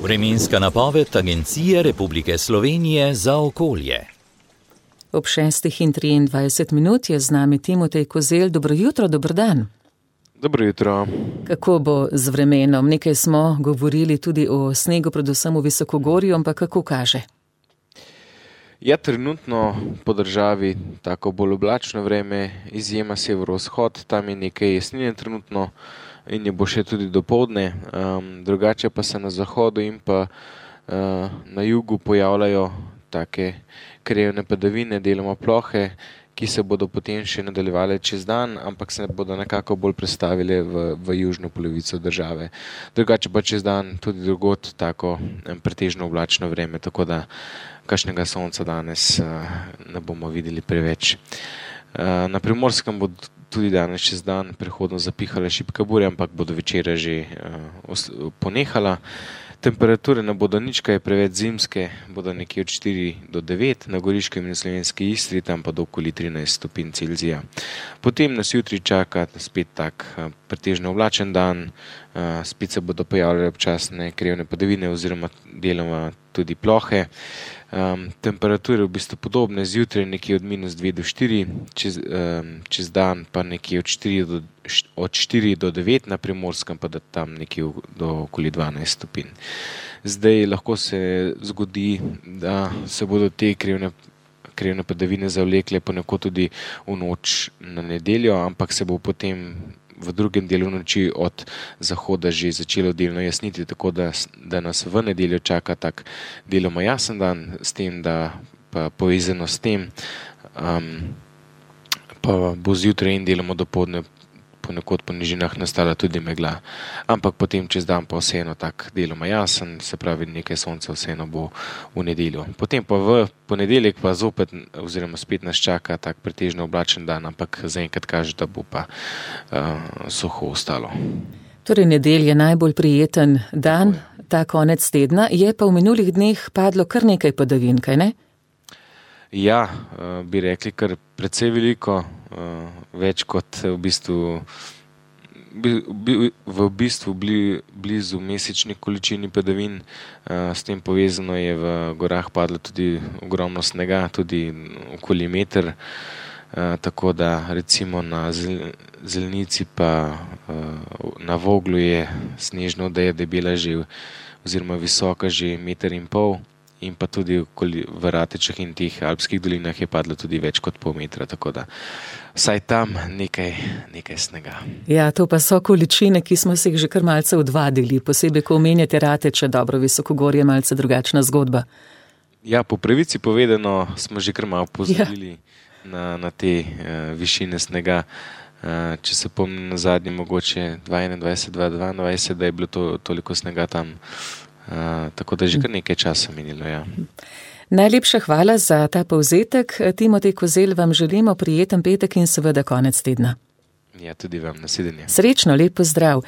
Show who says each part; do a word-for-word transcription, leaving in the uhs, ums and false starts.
Speaker 1: Vremenska napoved Agencije Republike Slovenije za okolje.
Speaker 2: Ob šestih in triindvajset minut je z nami Timotej Kozelj. Dobro jutro, dober dan.
Speaker 3: Dobro jutro.
Speaker 2: Kako bo z vremenom? Nekaj smo govorili tudi o snegu, predvsem v Visokogorju, ampak kako kaže?
Speaker 3: Ja, trenutno po državi tako bolj oblačno vreme, izjema severovzhod, tam je nekaj jesnine trenutno in je bo še tudi dopoldne, um, drugače pa se na zahodu in pa uh, na jugu pojavljajo take krajevne padavine, deloma plohe, ki se bodo potem še nadaljevale čez dan, ampak se bodo nekako bolj prestavile v, v južno polovico države. Drugače pa čez dan tudi drugod tako pretežno oblačno vreme, tako da kakšnega sonca danes uh, ne bomo videli preveč. Uh, na Primorskem bo tudi danes čez dan prehodno zapihala šibka burja, ampak bodo večera že uh, ponehala. Temperature ne bodo nič kaj preveč zimske, bodo nekje od štiri do devet, na Goriškem in Slovenski Istri, tam pa do okoli trinajst stopinj Celzija. Potem nas jutri čaka spet tak pretežno oblačen dan, spet se bodo pojavljale občasne krajevne padavine oziroma deloma tudi plohe. Um, temperature v bistvu podobne, zjutraj nekje od minus dve do štiri, čez, um, čez dan pa nekje od štiri do, od štiri do devet, na Primorskem pa da tam nekje do okoli dvanajst stopinj. Zdaj lahko se zgodi, da se bodo te krajevne, krajevne padavine zavlekle ponekod tudi v noč na nedeljo, ampak se bo potem v drugem delu noči od zahoda že začelo delno jasniti, tako da, da nas v nedeljo čaka tak deloma jasen dan, s tem, da pa povezano s tem um, pa bo zjutraj in deloma dopoldne ponekod po nižinah nastala tudi megla. Ampak potem čez dan pa vseeno tak deloma jasen, se pravi nekaj sonca vseeno bo v nedeljo. Potem pa v ponedeljek pa zopet oziroma spet nas čaka tak pretežno oblačen dan, ampak zaenkrat kaže, da bo pa uh, suho ostalo.
Speaker 2: Torej nedelja je najbolj prijeten dan, ta konec tedna, je pa v minulih dneh padlo kar nekaj padavin, kaj ne?
Speaker 3: Ja, uh, bi rekli kar precej veliko, uh, več kot v bistvu, bi, bi, v bistvu bli, blizu mesečni količini padavin. Uh, s tem povezano je v gorah padlo tudi ogromno snega, tudi okoli meter, uh, tako da recimo na zel, Zelnici pa uh, na Voglu je snežna odeja debela že oziroma visoka že meter in pol. In pa tudi v Ratečah in teh alpskih dolinah je padlo tudi več kot pol metra, tako da vsaj tam nekaj, nekaj snega.
Speaker 2: Ja, to pa so količine, ki smo se jih že kar malce odvadili, posebej ko omenjate Rateče, dobro, Visokogorje, malce drugačna zgodba.
Speaker 3: Ja, po pravici povedano smo že kar malo pozabili ja. na, na te uh, višine snega. Uh, če se pomnim na zadnji mogoče dvaindvajset dva dvaindvajset, da je bilo to, toliko snega tam. Uh, tako da že kar nekaj časa minilo, ja.
Speaker 2: Najlepša hvala za ta povzetek. Timotej Kozelj, vam želimo prijeten petek in seveda konec tedna.
Speaker 3: Ja, tudi vam, nasvidenje.
Speaker 2: Srečno, lep pozdrav.